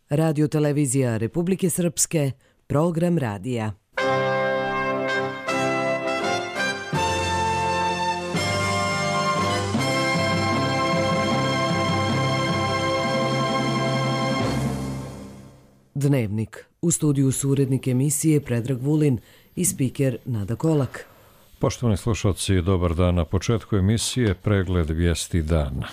Radio televizija Republike Srpske, program radija. Dnevnik. U studiju su urednik emisije Predrag Vulin i spiker Nada Kolak. Poštovani slušalci, dobar dan. Na početku emisije pregled vijesti dana.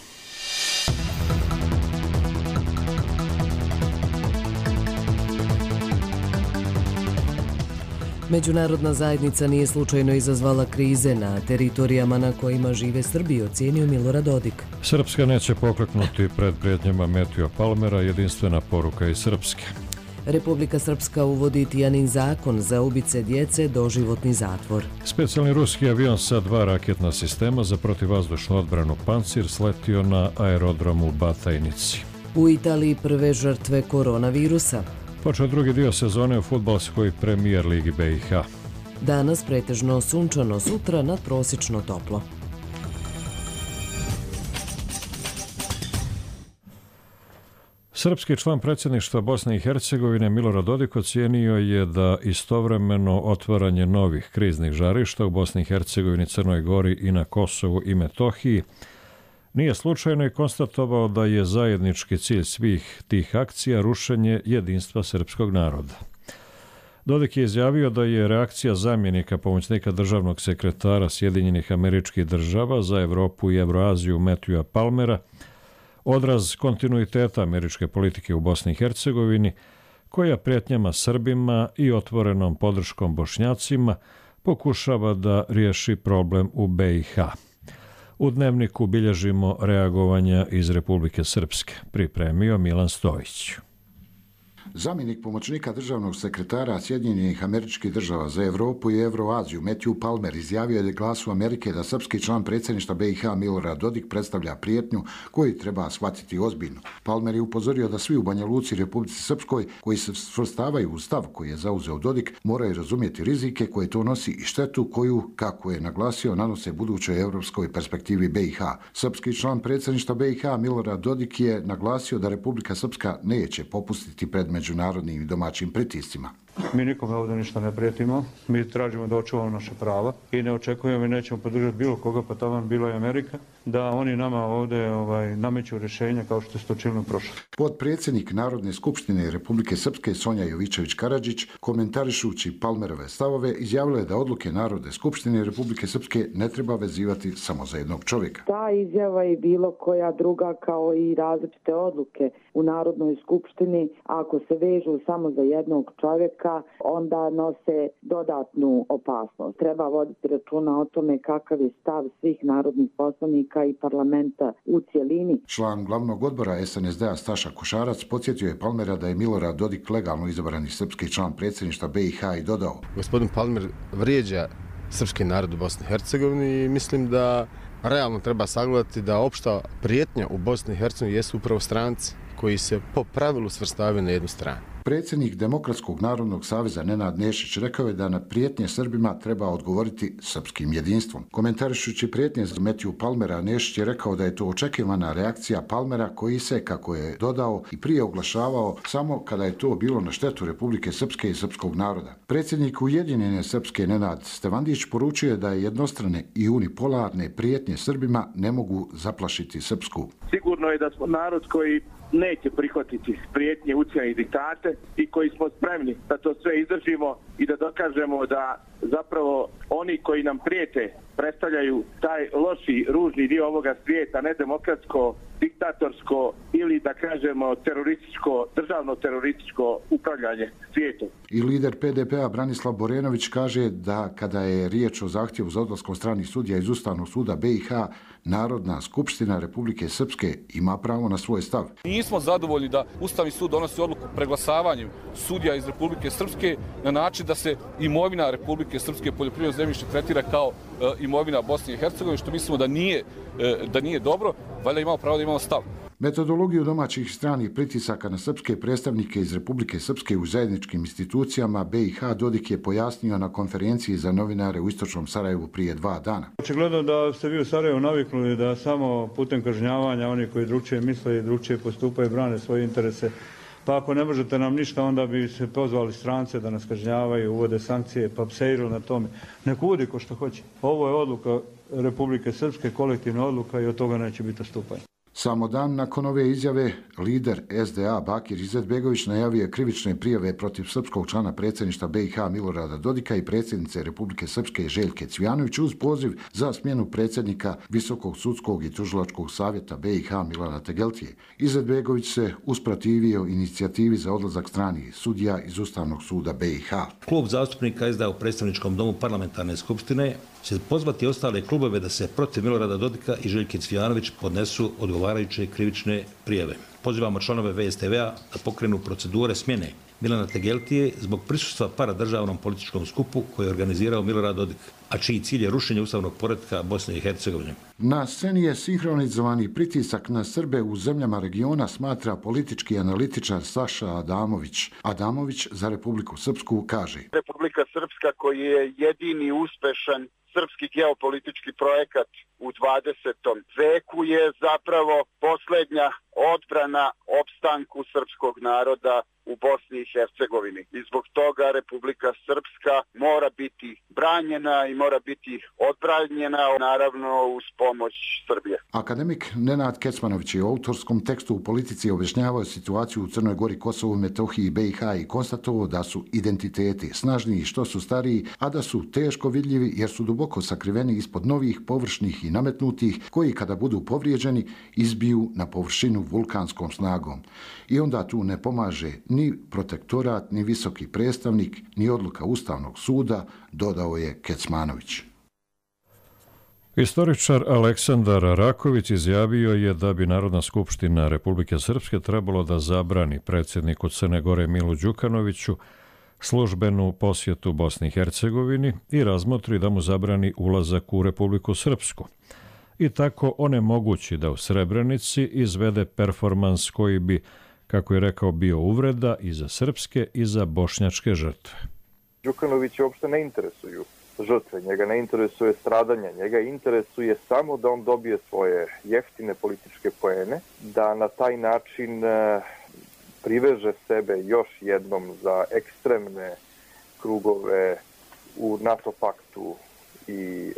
Međunarodna zajednica nije slučajno izazvala krize na teritorijama na kojima žive Srbi, ocijenio Milorad Dodik. Srpska neće pokleknuti pred prijetnjama Metija Palmera, jedinstvena poruka iz Srpske. Republika Srpska uvodi Tijanin zakon za ubice djece, doživotni zatvor. Specijalni ruski avion sa 2 raketna sistema za protivvazdušnu odbranu Pancir sletio na aerodromu u Batajnici. U Italiji prve žrtve koronavirusa. Počeo drugi dio sezone u fudbalskoj premijer ligi BiH. Danas pretežno sunčano, sutra nadprosječno toplo. Srpski član predsjedništva Bosne i Hercegovine Milorad Dodik ocijenio je da istovremeno otvaranje novih kriznih žarišta u Bosni i Hercegovini, Crnoj Gori i na Kosovu i Metohiji nije slučajno i konstatovao da je zajednički cilj svih tih akcija rušenje jedinstva srpskog naroda. Dodik je izjavio da je reakcija zamjenika pomoćnika državnog sekretara Sjedinjenih Američkih Država za Evropu i Evroaziju Metija Palmera odraz kontinuiteta američke politike u Bosni i Hercegovini, koja prijetnjama Srbima i otvorenom podrškom Bošnjacima pokušava da riješi problem u BiH. U dnevniku bilježimo reagovanja iz Republike Srpske, pripremio Milan Stojić. Zamjenik pomoćnika državnog sekretara Sjedinjenih Američkih Država za Evropu i Evroaziju Metiju Palmer izjavio je Glasu Amerike da srpski član predsjedništva BiH Milorad Dodik predstavlja prijetnju koju treba shvatiti ozbiljno. Palmer je upozorio da svi u Banja Luci i Republici Srpskoj koji se svrstavaju u stav koji je zauzeo Dodik moraju razumjeti rizike koje to nosi i štetu koju, kako je naglasio, nanose budućoj europskoj perspektivi BiH. Srpski član predsjedništva BiH Milorad Dodik je naglasio da Republika Srpska neće popustiti pred međunarodnim i domaćim pritiscima. Mi nikome ovdje ništa ne prijetimo, mi tražimo da očuvamo naše prava i ne očekujemo i nećemo podržati bilo koga, pa taman bilo je Amerika, da oni nama ovdje nameću rješenja kao što se to činilo prošlo. Potpredsjednik Narodne skupštine Republike Srpske Sonja Jovičević-Karađić, komentarišući Palmerove stavove, izjavila je da odluke Narodne skupštine Republike Srpske ne treba vezivati samo za jednog čovjeka. Ta izjava i bilo koja druga kao i različite odluke u Narodnoj skupštini, ako se vežu samo za jednog čovjeka, onda nose dodatnu opasnost. Treba voditi računa o tome kakav je stav svih narodnih poslanika i parlamenta u cjelini. Član glavnog odbora SNSD-a Staša Košarac podsjetio je Palmera da je Milorad Dodik legalno izabrani srpski član predsjedništva BiH i dodao: Gospodin Palmer vrijeđa srpski narod u Bosni i Hercegovini i mislim da realno treba sagledati da opšta prijetnja u Bosni i Hercegovini jesu upravo stranci koji se po pravilu svrstavaju na jednu stranu. Predsjednik Demokratskog narodnog saveza Nenad Nešić rekao je da na prijetnje Srbima treba odgovoriti srpskim jedinstvom. Komentarišući prijetnje za Metiju Palmera, Nešić je rekao da je to očekivana reakcija Palmera koji se, kako je dodao, i prije oglašavao samo kada je to bilo na štetu Republike Srpske i srpskog naroda. Predsjednik Ujedinjene Srpske Nenad Stevandić poručio je da je jednostrane i unipolarne prijetnje Srbima ne mogu zaplašiti Srpsku. Sigurno je da smo narod koji neće prihvatiti prijetnje, ucjene i diktate i koji smo spremni da to sve izdržimo i da dokažemo da zapravo oni koji nam prijete predstavljaju taj loši, ružni dio ovoga svijeta, ne demokratsko, diktatorsko ili da kažemo terorističko, državno terorističko upravljanje svijetom. I lider PDP-a Branislav Borenović kaže da kada je riječ o zahtjevu za odlaskom stranih sudija iz Ustavnog suda BiH, Narodna skupština Republike Srpske ima pravo na svoj stav. Nismo zadovoljni da Ustavni sud donosi odluku preglasavanjem sudija iz Republike Srpske na način da se imovina Republike Srpske poljoprivredno zemljište tretira kao imovina Bosne i Hercegovine, što mislimo da nije dobro, valjda imamo pravo da imamo stav. Metodologiju domaćih i stranih pritisaka na srpske predstavnike iz Republike Srpske u zajedničkim institucijama BiH Dodik je pojasnio na konferenciji za novinare u Istočnom Sarajevu prije 2 dana. Očigledno da ste vi u Sarajevu naviknuli da samo putem kažnjavanja oni koji drugčije misle i drugčije postupaju brane svoje interese pa ako ne možete nam ništa, onda bi se pozvali strance da nas kažnjavaju, uvode sankcije, pa pseirili na tome. Nek uvodi ko što hoće. Ovo je odluka Republike Srpske, kolektivna odluka i od toga neće biti odstupanja. Samo dan nakon ove izjave, lider SDA Bakir Izetbegović najavio je krivične prijave protiv srpskog člana predsjedništva BiH Milorada Dodika i predsjednice Republike Srpske Željke Cvijanović uz poziv za smjenu predsjednika Visokog sudskog i tužilačkog savjeta BiH Milana Tegeltije. Izetbegović se usprotivio inicijativi za odlazak stranih sudija iz Ustavnog suda BiH. Klub zastupnika SDA u predstavničkom domu parlamentarne skupštine će pozvati ostale klubove da se protiv Milorada Dodika i Željke Cvijanović podnesu odgovarajuće krivične prijave. Pozivamo članove VSTV-a da pokrenu procedure smjene Milana Tegeltije zbog prisustva paradržavnom političkom skupu koji je organizirao Milorad Dodik, a čiji cilj je rušenje ustavnog poretka Bosne i Hercegovine. Na sceni je sinhronizovani pritisak na Srbe u zemljama regiona, smatra politički analitičar Saša Adamović. Adamović za Republiku Srpsku kaže: Republika Srpska koji je jedini uspešan srpski geopolitički projekat u 20. veku je zapravo posljednja odbrana opstanku srpskog naroda u Bosni i Hercegovini. I zbog toga Republika Srpska mora biti branjena i mora biti odbranjena, naravno uz pomoć Srbije. Akademik Nenad Kecmanović je u autorskom tekstu u Politici objašnjavao situaciju u Crnoj Gori, Kosovu, Metohiji, BiH i konstatovao da su identiteti snažniji što su stariji, a da su teško vidljivi jer su duboko sakriveni ispod novih, površnih i nametnutih, koji kada budu povrijeđeni izbiju na površinu vulkanskom snagom. I onda tu ne pomaže ni protektorat, ni visoki predstavnik, ni odluka Ustavnog suda, dodao je Kecmanović. Istoričar Aleksandar Raković izjavio je da bi Narodna skupština Republike Srpske trebalo da zabrani predsjedniku Crne Gore Milu Đukanoviću službenu posjetu Bosni i Hercegovini i razmotri da mu zabrani ulazak u Republiku Srpsku. I tako onemogući da u Srebrenici izvede performans koji bi, kako je rekao, bio uvreda i za srpske i za bošnjačke žrtve. Đukanović uopšte ne interesuju žrtve, njega ne interesuje stradanje, njega interesuje samo da on dobije svoje jeftine političke poene, da na taj način priveže sebe još jednom za ekstremne krugove u NATO paktu i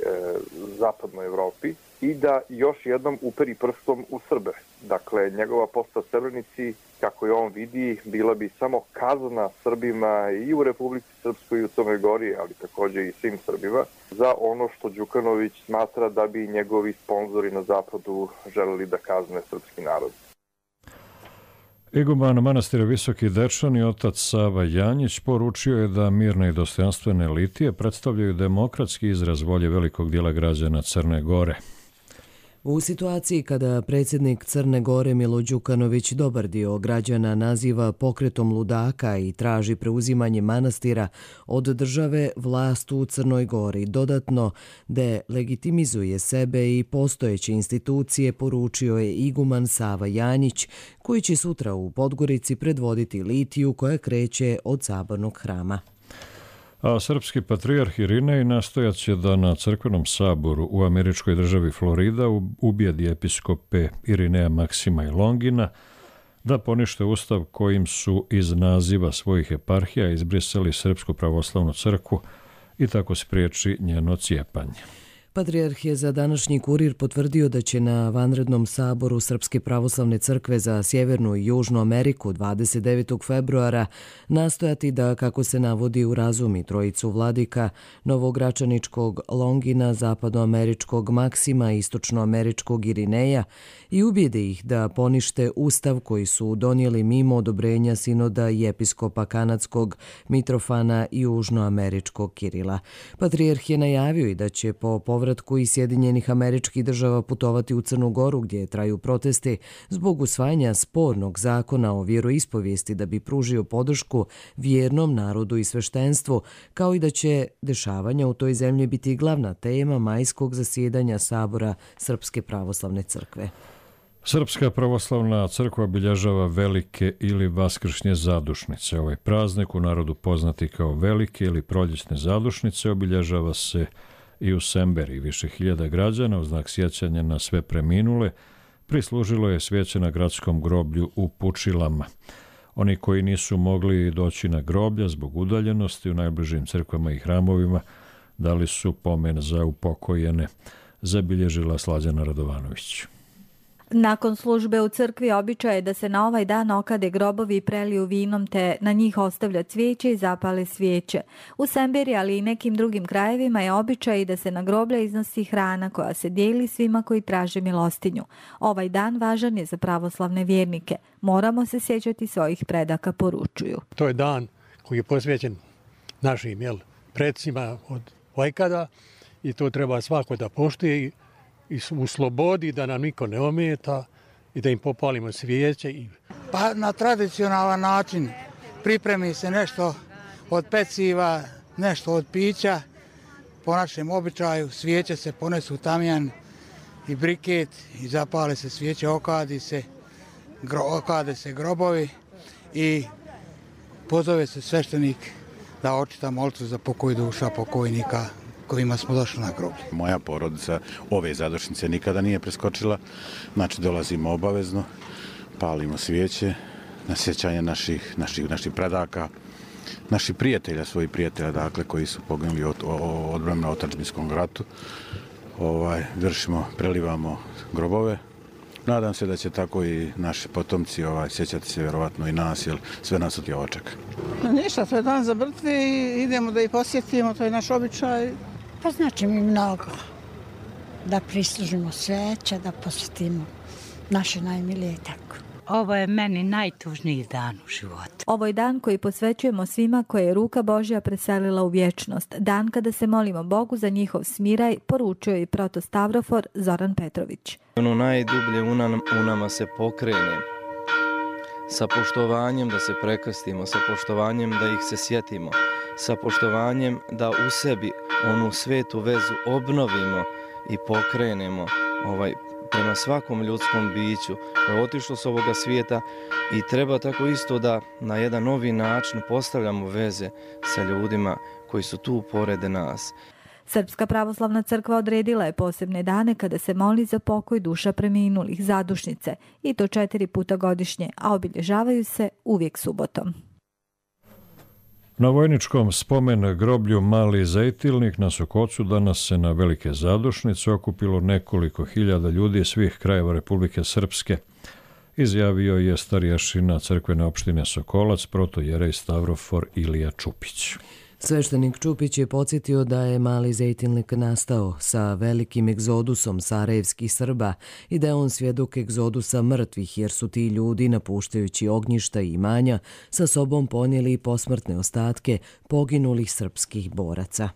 zapadnoj Evropi i da još jednom uperi prstom u Srbe. Dakle, njegova postat Srebrenici, kako je on vidi, bila bi samo kazna Srbima i u Republici Srpskoj i u Crnoj Gori, ali također i svim Srbima, za ono što Đukanović smatra da bi njegovi sponzori na zapadu želeli da kazne srpski narod. Iguman manastira Visoki Dečan i otac Sava Janjić poručio je da mirne i dostojanstvene litije predstavljaju demokratski izraz volje velikog dijela građana Crne Gore. U situaciji kada predsjednik Crne Gore Milo Đukanović dobar dio građana naziva pokretom ludaka i traži preuzimanje manastira od države, vlast u Crnoj Gori dodatno delegitimizuje sebe i postojeće institucije, poručio je iguman Sava Janjić, koji će sutra u Podgorici predvoditi litiju koja kreće od Sabornog hrama. A srpski patrijarh Irinej nastojat će da na crkvenom saboru u američkoj državi Florida ubijedi episkope Irineja Maksima i Longina da ponište ustav kojim su iz naziva svojih eparhija izbrisali Srpsku pravoslavnu crkvu i tako spriječi njeno cijepanje. Patrijarh je za današnji Kurir potvrdio da će na vanrednom saboru Srpske pravoslavne crkve za Sjevernu i Južnu Ameriku 29. februara nastojati da, kako se navodi, urazumi trojicu vladika novogračaničkog Longina, zapadnoameričkog Maksima i istočnoameričkog Irineja i ubijede ih da ponište ustav koji su donijeli mimo odobrenja sinoda i episkopa kanadskog Mitrofana i južnoameričkog Kirila. Patrijarh je najavio i da će po povratku iz Sjedinjenih Američkih Država putovati u Crnu Goru gdje traju protesti zbog usvajanja spornog zakona o vjeroispovijesti da bi pružio podršku vjernom narodu i sveštenstvu, kao i da će dešavanja u toj zemlji biti glavna tema majskog zasjedanja Sabora Srpske pravoslavne crkve. Srpska pravoslavna crkva obilježava velike ili vaskršnje zadušnice. Ovaj praznik, u narodu poznati kao velike ili proljećne zadušnice, obilježava se i u Semberi. Više hiljada građana u znak sjećanja na sve preminule prislužilo je svijeće na gradskom groblju u Pučilama. Oni koji nisu mogli doći na groblja zbog udaljenosti u najbližim crkvama i hramovima dali su pomen za upokojene, zabilježila Slađana Radovanović. Nakon službe u crkvi običaj je da se na ovaj dan okade grobovi i preliju vinom te na njih ostavlja cvijeće i zapale svijeće. U Semberi, ali i nekim drugim krajevima je običaj da se na groblja iznosi hrana koja se dijeli svima koji traže milostinju. Ovaj dan važan je za pravoslavne vjernike. Moramo se sjećati svojih predaka, poručuju. To je dan koji je posvećen našim predsima od vajkada i to treba svako da poštuje i u slobodi, da nam niko ne ometa i da im popalimo svijeće. Pa na tradicionalan način pripremi se nešto od peciva, nešto od pića. Po našem običaju svijeće se ponesu u tamjan i briket i zapale se svijeće, okade se grobovi i pozove se sveštenik da očita molitvu za pokoj duša pokojnika kojima smo došli na groblje. Moja porodica ove zadošnice nikada nije preskočila, znači dolazimo obavezno, palimo svijeće na sjećanje naših predaka, naših prijatelja, svojih prijatelja, dakle, koji su poginuli od odbrane na otadžbinskom ratu. Prelivamo grobove. Nadam se da će tako i naši potomci sjećati se vjerovatno i nas, jer sve nas od ovo čeka. Ništa, to je dan za mrtve i idemo da ih posjetimo, to je naš običaj. Pa znači mi mnogo da prislužimo sveće, da posjetimo naše najmilije tako. Ovo je meni najtužniji dan u životu. Ovo je dan koji posvećujemo svima koje je ruka Božja preselila u vječnost. Dan kada se molimo Bogu za njihov smiraj, poručio i protostavrofor Zoran Petrović. Ono najdublje u nama se pokrene sa poštovanjem da se prekrstimo, sa poštovanjem da ih se sjetimo, sa poštovanjem da u sebi onu svetu vezu obnovimo i pokrenemo prema svakom ljudskom biću koje je otišlo s ovoga svijeta i treba tako isto da na jedan novi način postavljamo veze sa ljudima koji su tu pored nas. Srpska pravoslavna crkva odredila je posebne dane kada se moli za pokoj duša preminulih, zadušnice, i to 4 puta godišnje, a obilježavaju se uvijek subotom. Na vojničkom spomen groblju Mali Zejtilnik na Sokocu danas se na velike zadušnice okupilo nekoliko hiljada ljudi svih krajeva Republike Srpske, izjavio je starješina crkvene opštine Sokolac, protojerej Stavrofor Ilija Čupić. Sveštenik Čupić je podsjetio da je Mali Zejtilnik nastao sa velikim egzodusom sarajevskih Srba i da je on svjedok egzodusa mrtvih, jer su ti ljudi, napuštajući ognjišta i imanja, sa sobom ponijeli posmrtne ostatke poginulih srpskih boraca.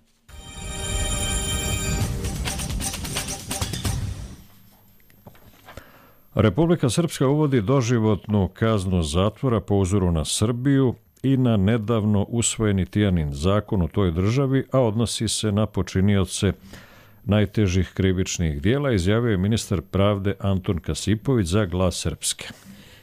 Republika Srpska uvodi doživotnu kaznu zatvora po uzoru na Srbiju i na nedavno usvojeni Tijanin zakon u toj državi, a odnosi se na počinioce najtežih krivičnih dijela, izjavio je ministar pravde Anton Kasipović za Glas Srpske.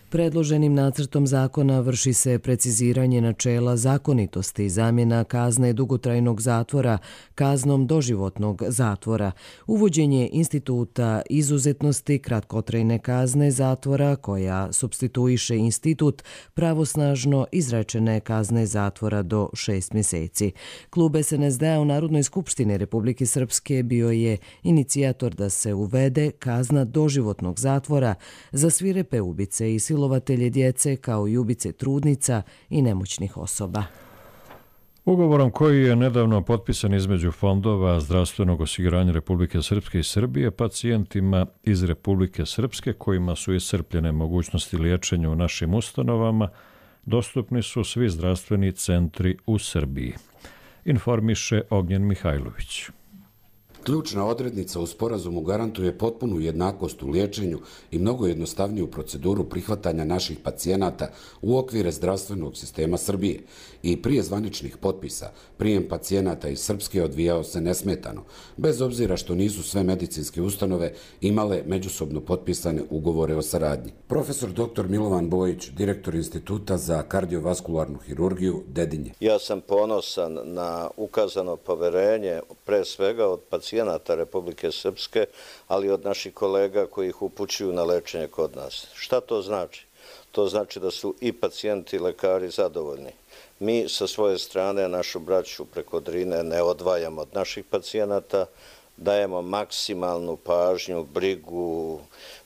Predloženim nacrtom zakona vrši se preciziranje načela zakonitosti i zamjena kazne dugotrajnog zatvora kaznom doživotnog zatvora, uvođenje instituta izuzetnosti kratkotrajne kazne zatvora koja supstituiše institut pravosnažno izrečene kazne zatvora do 6 mjeseci. Klub SNSD u Narodnoj skupštini Republike Srpske bio je inicijator da se uvede kazna doživotnog zatvora za svirepe ubice i silovatelje djece kao i ubice trudnica i nemoćnih osoba. Ugovorom koji je nedavno potpisan između fondova zdravstvenog osiguranja Republike Srpske i Srbije, pacijentima iz Republike Srpske kojima su iscrpljene mogućnosti liječenja u našim ustanovama, dostupni su svi zdravstveni centri u Srbiji, informiše Ognjen Mihajlović. Ključna odrednica u sporazumu garantuje potpunu jednakost u liječenju i mnogo jednostavniju proceduru prihvatanja naših pacijenata u okvire zdravstvenog sistema Srbije. I prije zvaničnih potpisa, prijem pacijenata iz Srpske odvijao se nesmetano, bez obzira što nisu sve medicinske ustanove imale međusobno potpisane ugovore o saradnji. Profesor dr. Milovan Bojić, direktor Instituta za kardiovaskularnu hirurgiju Dedinje. Ja sam ponosan na ukazano poverenje, pre svega od pacijenata Republike Srpske, ali od naših kolega koji ih upućuju na lečenje kod nas. Šta to znači? to znači da su i pacijenti i lekari zadovoljni. Mi sa svoje strane našu braću preko Drine ne odvajamo od naših pacijenata, dajemo maksimalnu pažnju, brigu,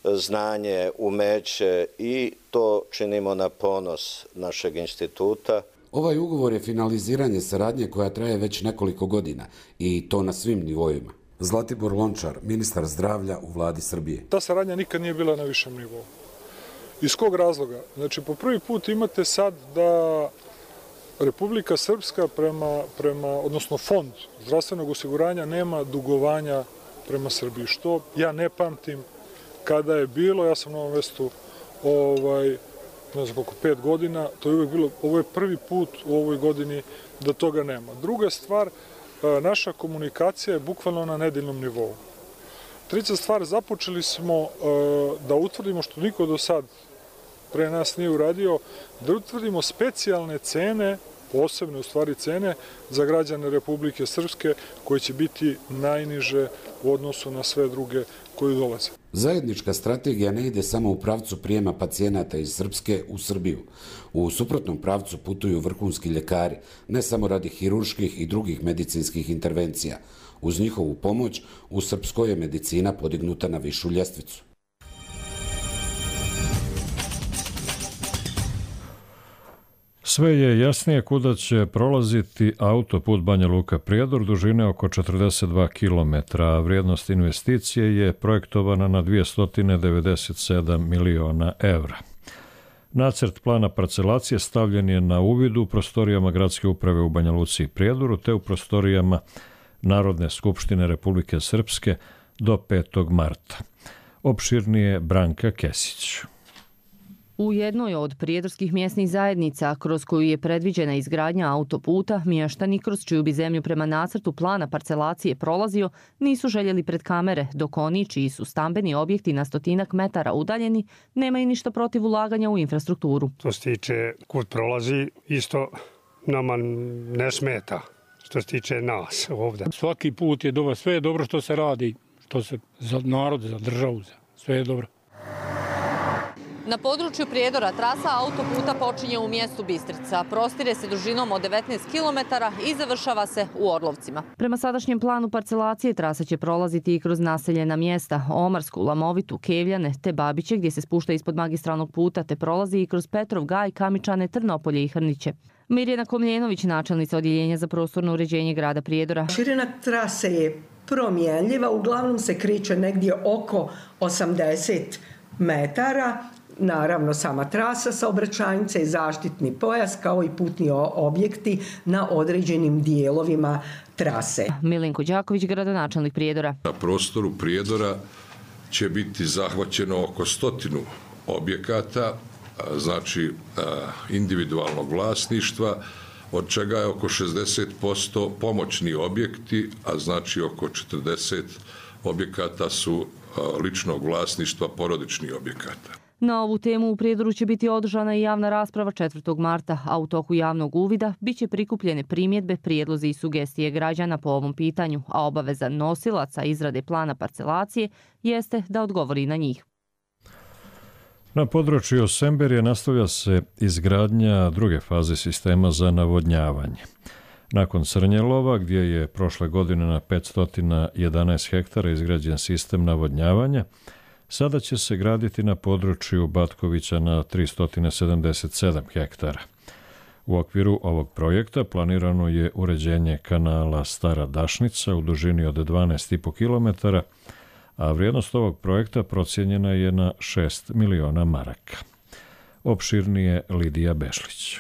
znanje, umeće i to činimo na ponos našeg instituta. Ovaj ugovor je finaliziranje saradnje koja traje već nekoliko godina i to na svim nivoima. Zlatibor Lončar, ministar zdravlja u vladi Srbije. Ta saradnja nikad nije bila na višem nivou. Iz kog razloga? Znači, po prvi put imate sad da Republika Srpska odnosno Fond zdravstvenog osiguranja nema dugovanja prema Srbiji, što ja ne pamtim kada je bilo. Ja sam na ovom mestu ne znam koliko, 5 godina, to je uvijek bilo, ovo je prvi put u ovoj godini da toga nema. Druga stvar, naša komunikacija je bukvalno na nedeljnom nivou. Treća stvar, započeli smo da utvrdimo, što niko do sad pre nas nije uradio, da utvrdimo specijalne cene, posebne u stvari cene za građane Republike Srpske, koje će biti najniže u odnosu na sve druge koji dolaze. Zajednička strategija ne ide samo u pravcu prijema pacijenata iz Srpske u Srbiju. U suprotnom pravcu putuju vrhunski ljekari, ne samo radi hirurških i drugih medicinskih intervencija. Uz njihovu pomoć, u Srpskoj je medicina podignuta na višu ljestvicu. Sve je jasnije kuda će prolaziti autoput Banja Luka-Prijedor dužine oko 42 km, a vrijednost investicije je projektovana na 297 miliona evra. Nacrt plana parcelacije stavljen je na uvid u prostorijama Gradske uprave u Banja Luci i Prijedoru te u prostorijama Narodne skupštine Republike Srpske do 5. marta. Opširnije Branka Kesić. U jednoj od prijedorskih mjesnih zajednica kroz koju je predviđena izgradnja autoputa, mještani kroz čiju bi zemlju prema nacrtu plana parcelacije prolazio, nisu željeli pred kamere, dok oni čiji su stambeni objekti na 100 metara udaljeni, nemaju ništa protiv ulaganja u infrastrukturu. Što se tiče kud prolazi, isto nama ne smeta što se tiče nas ovdje. Svaki put je dobro, sve je dobro što se radi, što se za narod, za državu, sve je dobro. Na području Prijedora trasa autoputa počinje u mjestu Bistrica, prostire se dužinom od 19 km i završava se u Orlovcima. Prema sadašnjem planu parcelacije trasa će prolaziti i kroz naseljena mjesta Omarsku, Lamovitu, Kevljane te Babiće gdje se spušta ispod magistralnog puta te prolazi i kroz Petrov Gaj, Kamičane, Trnopolje i Hrniće. Mirjana Komljenović, načelnica Odjeljenja za prostorno uređenje grada Prijedora. Širina trase je promjenljiva, uglavnom se kreće negdje oko 80 metara. Naravno, sama trasa, saobraćajnica i zaštitni pojas kao i putni objekti na određenim dijelovima trase. Milenko Đaković, gradonačelnik Prijedora. Na prostoru Prijedora će biti zahvaćeno oko 100 objekata, znači individualnog vlasništva, od čega je oko 60% pomoćni objekti, a znači oko 40 objekata su ličnog vlasništva porodičnih objekata. Na ovu temu u Prijedoru će biti održana i javna rasprava 4. marta, a u toku javnog uvida biće prikupljene primjedbe, prijedlozi i sugestije građana po ovom pitanju, a obaveza nosilaca izrade plana parcelacije jeste da odgovori na njih. Na području Semberije nastavlja se izgradnja druge faze sistema za navodnjavanje. Nakon Crnjelova, gdje je prošle godine na 511 hektara izgrađen sistem navodnjavanja, sada će se graditi na području Batkovića na 377 hektara. U okviru ovog projekta planirano je uređenje kanala Stara Dašnica u dužini od 12,5 km, a vrijednost ovog projekta procijenjena je na 6 miliona maraka. Opširnije Lidija Bešlić.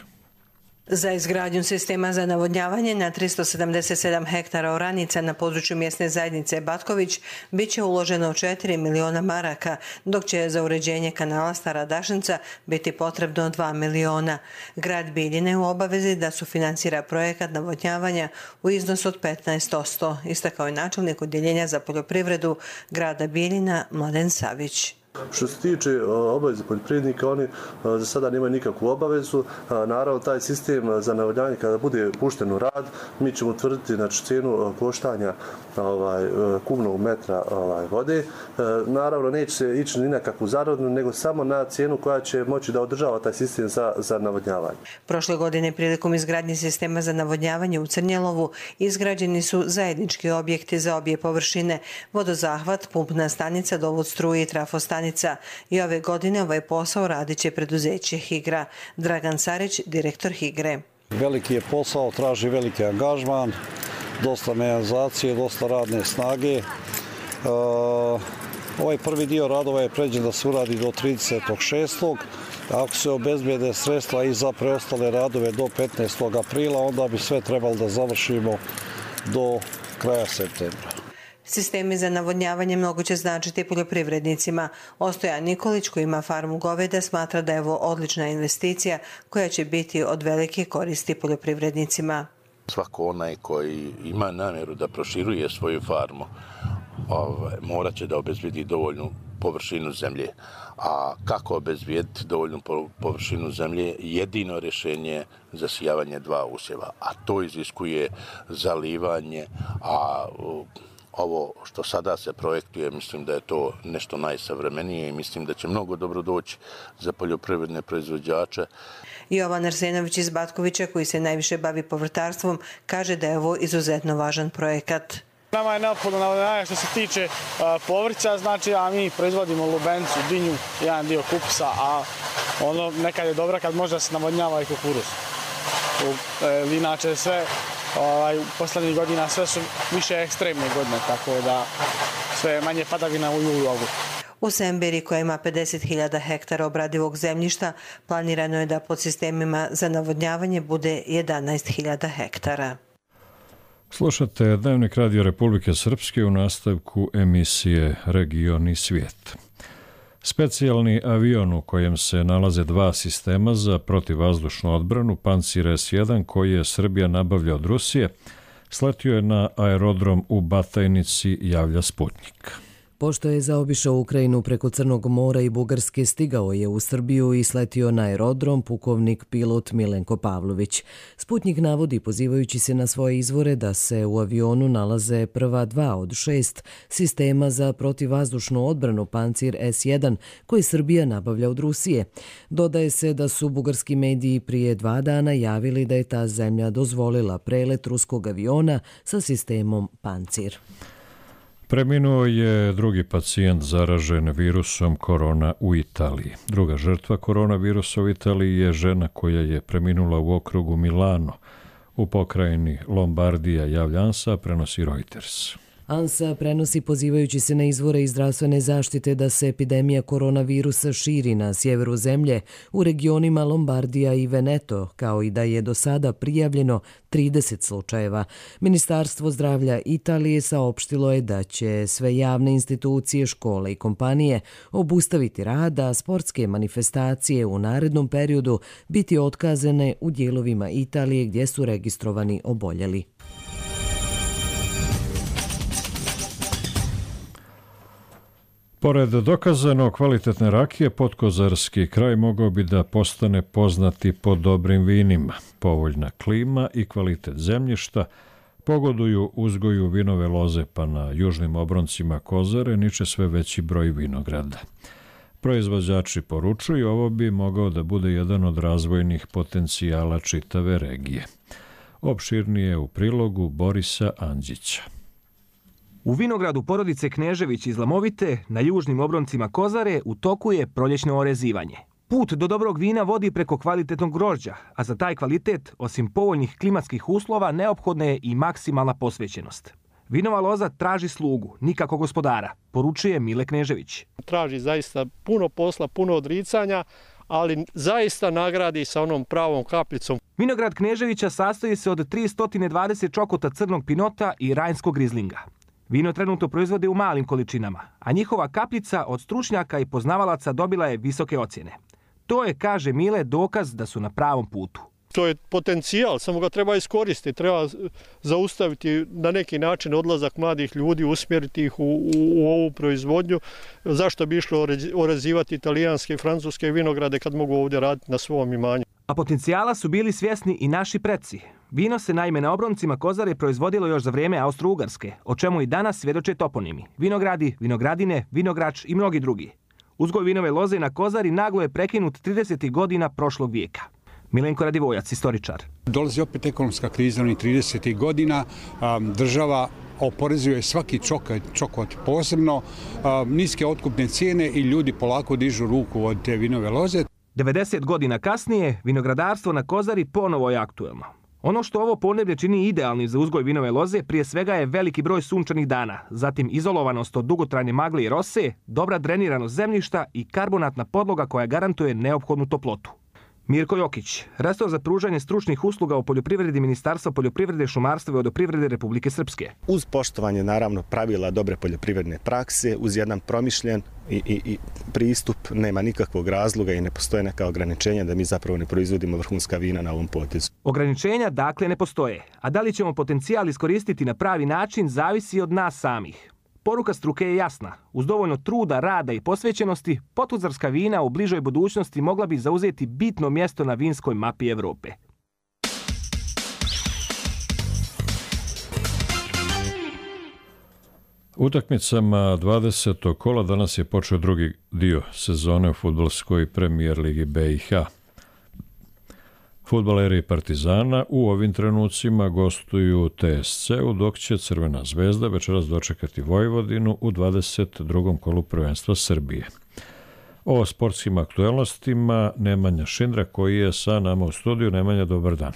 Za izgradnju sistema za navodnjavanje na 377 hektara oranica na području mjesne zajednice Batković biće uloženo 4 miliona maraka, dok će za uređenje kanala Stara Dašnica biti potrebno 2 miliona. Grad Bijeljine u obavezi da sufinansira projekat navodnjavanja u iznosu od 15%, istakao je načelnik Odjeljenja za poljoprivredu grada Bijeljina Mladen Savić. Što se tiče obaveze poljoprivrednika, oni za sada nemaju nikakvu obavezu. Naravno, taj sistem za navodnjavanje kada bude pušten u rad, mi ćemo utvrditi cijenu koštanja kubnog metra vode. Naravno, neće se ići ni na kakvu zaradu, nego samo na cijenu koja će moći da održava taj sistem za navodnjavanje. Prošle godine prilikom izgradnje sistema za navodnjavanje u Crnjelovu izgrađeni su zajednički objekti za obje površine, vodozahvat, pumpna stanica, dovod struje i trafostanica. I ove godine ovaj posao radit će preduzeće Higra. Dragan Sarić, direktor Higre. Veliki je posao, traži veliki angažman, dosta mehanizacije, dosta radne snage. Ovaj prvi dio radova je pređen da se uradi do 36. Ako se obezbede sredstva i za preostale radove do 15. aprila, onda bi sve trebalo da završimo do kraja septembra. Sistemi za navodnjavanje mnogo će značiti poljoprivrednicima. Ostojan Nikolić, koji ima farmu goveda, smatra da je ovo odlična investicija koja će biti od velike koristi poljoprivrednicima. Svako onaj koji ima namjeru da proširuje svoju farmu morat će da obezbedi dovoljnu površinu zemlje. A kako obezbijediti dovoljnu površinu zemlje? Jedino rješenje za zasijavanje 2 usjeva, a to iziskuje zalivanje, a ovo što sada se projektuje, mislim da je to nešto najsavremenije i mislim da će mnogo dobro doći za poljoprivredne proizvođače. Jovan Arsenović iz Batkovića, koji se najviše bavi povrtarstvom, kaže da je ovo izuzetno važan projekat. Nama je neophodno navodnjavanje što se tiče povrća, znači, a mi proizvodimo lubencu, dinju, jedan dio kupusa, a ono nekad je dobro kad može da se navodnjava i kukuruz. Inače sve u poslednjih godina sve su više ekstremne godine, tako da sve je manje padavina u julu. U Semberi, koja ima 50.000 hektara obradivog zemljišta, planirano je da pod sistemima za navodnjavanje bude 11.000 hektara. Slušate Dnevnik Radio Republike Srpske u nastavku emisije Region i svijet. Specijalni avion u kojem se nalaze 2 sistema za protivvazdušnu odbranu, Pancir S1, koji je Srbija nabavlja od Rusije, sletio je na aerodrom u Batajnici, javlja Sputnik. Pošto je zaobišao Ukrajinu preko Crnog mora i Bugarske, stigao je u Srbiju i sletio na aerodrom pukovnik pilot Milenko Pavlović. Sputnik navodi, pozivajući se na svoje izvore, da se u avionu nalaze prva 2 od 6 sistema za protivvazdušnu odbranu Pancir S1, koji Srbija nabavlja od Rusije. Dodaje se da su bugarski mediji prije 2 dana javili da je ta zemlja dozvolila prelet ruskog aviona sa sistemom Pancir. Preminuo je drugi pacijent zaražen virusom korona u Italiji. Druga žrtva koronavirusa u Italiji je žena koja je preminula u okrugu Milano. U pokrajini Lombardija, javlja ANSA, prenosi Reuters. ANSA prenosi, pozivajući se na izvore iz zdravstvene zaštite, da se epidemija koronavirusa širi na sjeveru zemlje u regionima Lombardija i Veneto, kao i da je do sada prijavljeno 30 slučajeva. Ministarstvo zdravlja Italije saopštilo je da će sve javne institucije, škole i kompanije obustaviti rad, a sportske manifestacije u narednom periodu biti otkazane u dijelovima Italije gdje su registrovani oboljeli. Pored dokazano kvalitetne rakije, Podkozarski kraj mogao bi da postane poznati po dobrim vinima. Povoljna klima i kvalitet zemljišta pogoduju uzgoju vinove loze, pa na južnim obroncima Kozare niče sve veći broj vinograda. Proizvođači poručuju, ovo bi mogao da bude jedan od razvojnih potencijala čitave regije. Opširnije u prilogu Borisa Andžića. U vinogradu porodice Knežević iz Lamovite, na južnim obroncima Kozare, u toku je proljećno orezivanje. Put do dobrog vina vodi preko kvalitetnog grožđa, a za taj kvalitet, osim povoljnih klimatskih uslova, neophodna je i maksimalna posvećenost. Vinova loza traži slugu, nikako gospodara, poručuje Mile Knežević. Traži zaista puno posla, puno odricanja, ali zaista nagradi sa onom pravom kapljicom. Vinograd Kneževića sastoji se od 320 čokota crnog pinota i rajnskog rizlinga. Vino trenutno proizvode u malim količinama, a njihova kapljica od stručnjaka i poznavalaca dobila je visoke ocjene. To je, kaže Mile, dokaz da su na pravom putu. To je potencijal, samo ga treba iskoristiti, treba zaustaviti na neki način odlazak mladih ljudi, usmjeriti ih u ovu proizvodnju. Zašto bi išlo orezivati italijanske i francuske vinograde kad mogu ovdje raditi na svom imanju? A potencijala su bili svjesni i naši preci. Vino se naime na obroncima Kozare proizvodilo još za vrijeme Austro-Ugarske, o čemu i danas svjedoče toponimi. Vinogradi, vinogradine, vinograč i mnogi drugi. Uzgoj vinove loze na Kozari naglo je prekinut 30. godina prošlog vijeka. Milenko Radivojac, istoričar. Dolazi opet ekonomska kriza onih 30. godina. Država oporezuje svaki čokot posebno, niske otkupne cijene i ljudi polako dižu ruku od te vinove loze. 90 godina kasnije, vinogradarstvo na Kozari ponovo je aktuelno. Ono što ovo podneblje čini idealnim za uzgoj vinove loze prije svega je veliki broj sunčanih dana, zatim izolovanost od dugotrajne magle i rose, dobra dreniranost zemljišta i karbonatna podloga koja garantuje neophodnu toplotu. Mirko Jokić, resor za pružanje stručnih usluga u poljoprivredi Ministarstva poljoprivrede, šumarstva i vodoprivrede Republike Srpske. Uz poštovanje naravno pravila dobre poljoprivredne prakse, uz jedan promišljen i pristup, nema nikakvog razloga i ne postoje neka ograničenja da mi zapravo ne proizvodimo vrhunska vina na ovom potezu. Ograničenja dakle ne postoje, a da li ćemo potencijal iskoristiti na pravi način zavisi od nas samih. Poruka struke je jasna. Uz dovoljno truda, rada i posvećenosti, potuzarska vina u bližoj budućnosti mogla bi zauzeti bitno mjesto na vinskoj mapi Evrope. Utakmicama 20. kola danas je počeo drugi dio sezone u fudbalskoj premijer ligi BiH. Fudbaleri Partizana u ovim trenucima gostuju TSC-u, dok će Crvena zvezda večeras dočekati Vojvodinu u 22. kolu prvenstva Srbije. O sportskim aktuelnostima Nemanja Šindra koji je sa nama u studiju. Nemanja, dobar dan.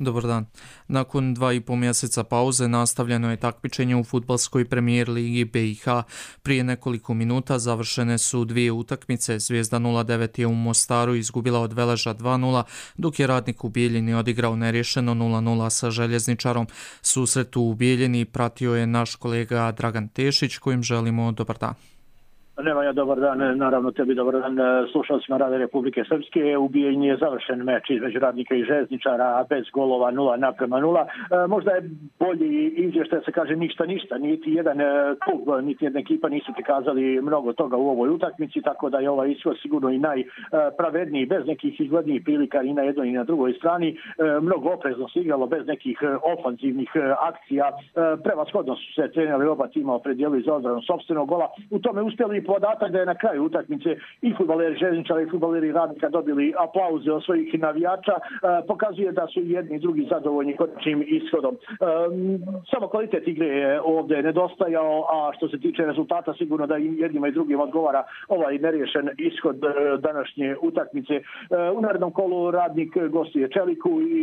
Dobar dan. Nakon 2,5 mjeseca pauze nastavljeno je takmičenje u fudbalskoj premijer ligi BiH. Prije nekoliko minuta završene su dvije utakmice. Zvijezda 09 je u Mostaru izgubila od Veleža 2:0, dok je Radnik u Bijeljini odigrao nerješeno 0:0 sa Željezničarom. Susret u Bijeljini pratio je naš kolega Dragan Tešić, kojim želimo dobar dan. Nemanja, dobar dan, naravno tebi dobar dan slušalcima Rade Republike Srpske. U Bijeljini je završen meč između Radnika i Željezničara bez golova 0:0. Možda je bolji izvještaj da se kaže ništa. Niti jedan klub, niti jedna ekipa nisu prikazali mnogo toga u ovoj utakmici, tako da je ovaj ishod sigurno i najpravedniji, bez nekih izglednijih prilika i na jednoj i na drugoj strani. Mnogo oprezno se igralo, bez nekih ofanzivnih akcija. Prevashodno su se treneri oba tima opredijelili za odbranu sopstvenog gola. U tome uspjeli i podatak da je na kraju utakmice i fudbaleri Željezničara i fudbaleri Radnika dobili aplauze od svojih navijača. Pokazuje da su jedni i drugi zadovoljni konačnim ishodom. Samo kvalitet igre je ovdje nedostajao, a što se tiče rezultata sigurno da i jednima i drugim odgovara ovaj neriješen ishod današnje utakmice. U narednom kolu Radnik gostuje Čeliku i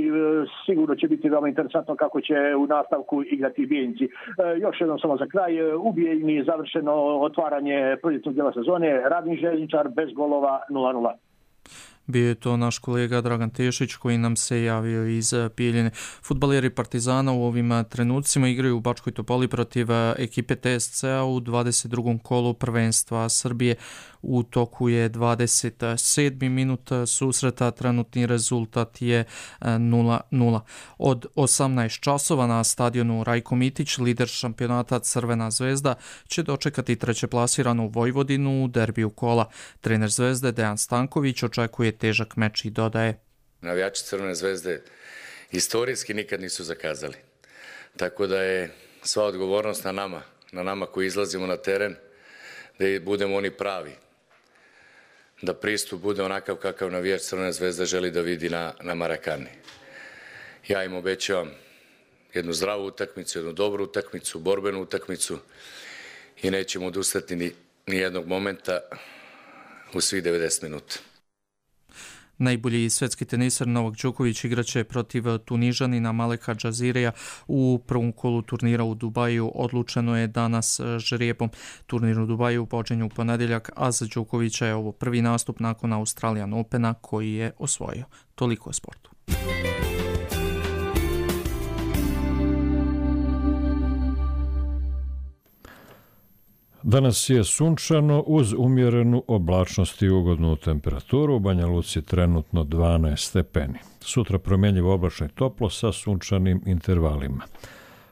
sigurno će biti veoma interesantno kako će u nastavku igrati Bijeljinci. Još jednom samo za kraj, u Bijeljini je završeno otvaranje proljetnog dijela sezone, Radnik Željezničar bez golova 0:0. Bio je to naš kolega Dragan Tešić koji nam se javio iz Bijeljine. Fudbaleri Partizana u ovim trenucima igraju u Bačkoj Topoli protiv ekipe TSC-a u 22. kolu prvenstva Srbije. U toku je 27. minut susreta, trenutni rezultat je 0:0. Od 18 časova na stadionu Rajko Mitić lider šampionata Crvena zvezda će dočekati trećeplasiranu Vojvodinu u derbiju kola. Trener Zvezde Dejan Stanković očekuje težak meč i dodaje: navijači Crvene zvezde historijski nikad nisu zakazali. Tako da je sva odgovornost na nama koji izlazimo na teren, da budemo oni pravi. Da pristup bude onakav kakav navijač Crvene zvezde želi da vidi na Marakani. Ja im obećavam jednu zdravu utakmicu, jednu dobru utakmicu, borbenu utakmicu i nećemo odustati ni jednog momenta u svih 90 minuta. Najbolji svetski teniser Novak Đoković igraće protiv Tunižanina Maleka Džazireja u prvom kolu turnira u Dubaju. Odlučeno je danas žrijebom. Turnir u Dubaju počinje u ponedjeljak, a za Đokovića je ovo prvi nastup nakon Australian Opena koji je osvojio. Toliko o sportu. Danas je sunčano uz umjerenu oblačnost i ugodnu temperaturu. U Banja Luci trenutno 12 stepeni. sutra promjenjivo oblačno i toplo sa sunčanim intervalima.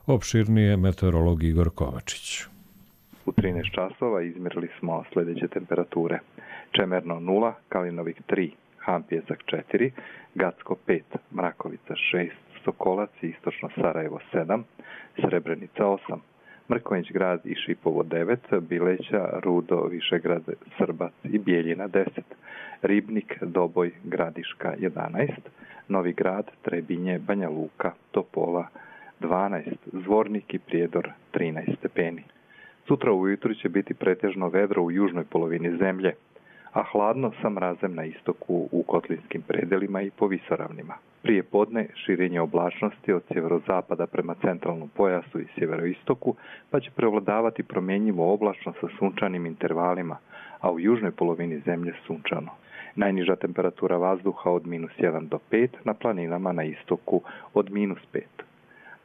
Opširnije meteorolog Igor Kovačić. U 13 časova izmjerili smo sljedeće temperature. Čemerno 0, Kalinovik 3, Hampjesak 4, Gacko 5, Mrakovica 6, Sokolac i istočno Sarajevo 7, Srebrenica 8, Mrkonjić grad i Šipovo 9, Bileća, Rudo, Višegrad, Srbac i Bijeljina 10, Ribnik, Doboj, Gradiška 11, Novi grad, Trebinje, Banja Luka, Topola 12, Zvornik i Prijedor 13 stepeni. Sutra ujutru će biti pretežno vedro u južnoj polovini zemlje, a hladno sa mrazem na istoku u kotlinskim predelima i po visoravnima. Prije podne širenje oblačnosti od sjeverozapada prema centralnom pojasu i sjeveroistoku, pa će prevladavati promjenjivo oblačno sa sunčanim intervalima, a u južnoj polovini zemlje sunčano. Najniža temperatura vazduha od -1 do 5, na planinama na istoku od -5.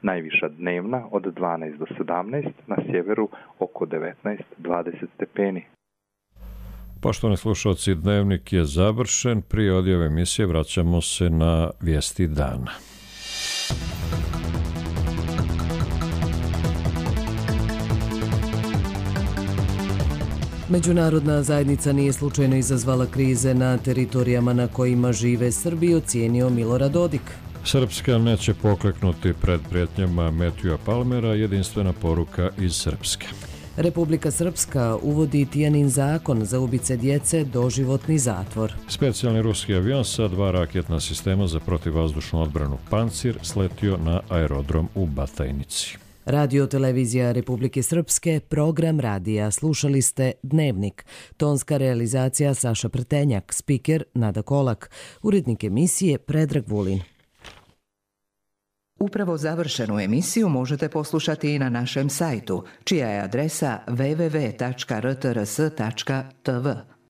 Najviša dnevna od 12 do 17, na sjeveru oko 19-20 stepeni. Poštovani slušalci, dnevnik je završen. Prije odjave emisije vraćamo se na vijesti dana. Međunarodna zajednica nije slučajno izazvala krize na teritorijama na kojima žive Srbi, ocijenio Milorad Dodik. Srpska neće pokleknuti pred prijetnjama Matthewa Palmera, jedinstvena poruka iz Srpske. Republika Srpska uvodi Tijanin zakon za ubice djece, doživotni zatvor. Specijalni ruski avion sa 2 raketna sistema za protivvazdušnu odbranu Pancir sletio na aerodrom u Batajnici. Radio televizija Republike Srpske, program radija. Slušali ste Dnevnik. Tonska realizacija Saša Prtenjak, spiker Nada Kolak, urednik emisije Predrag Vulin. Upravo završenu emisiju možete poslušati i na našem sajtu, čija je adresa www.rtrs.tv.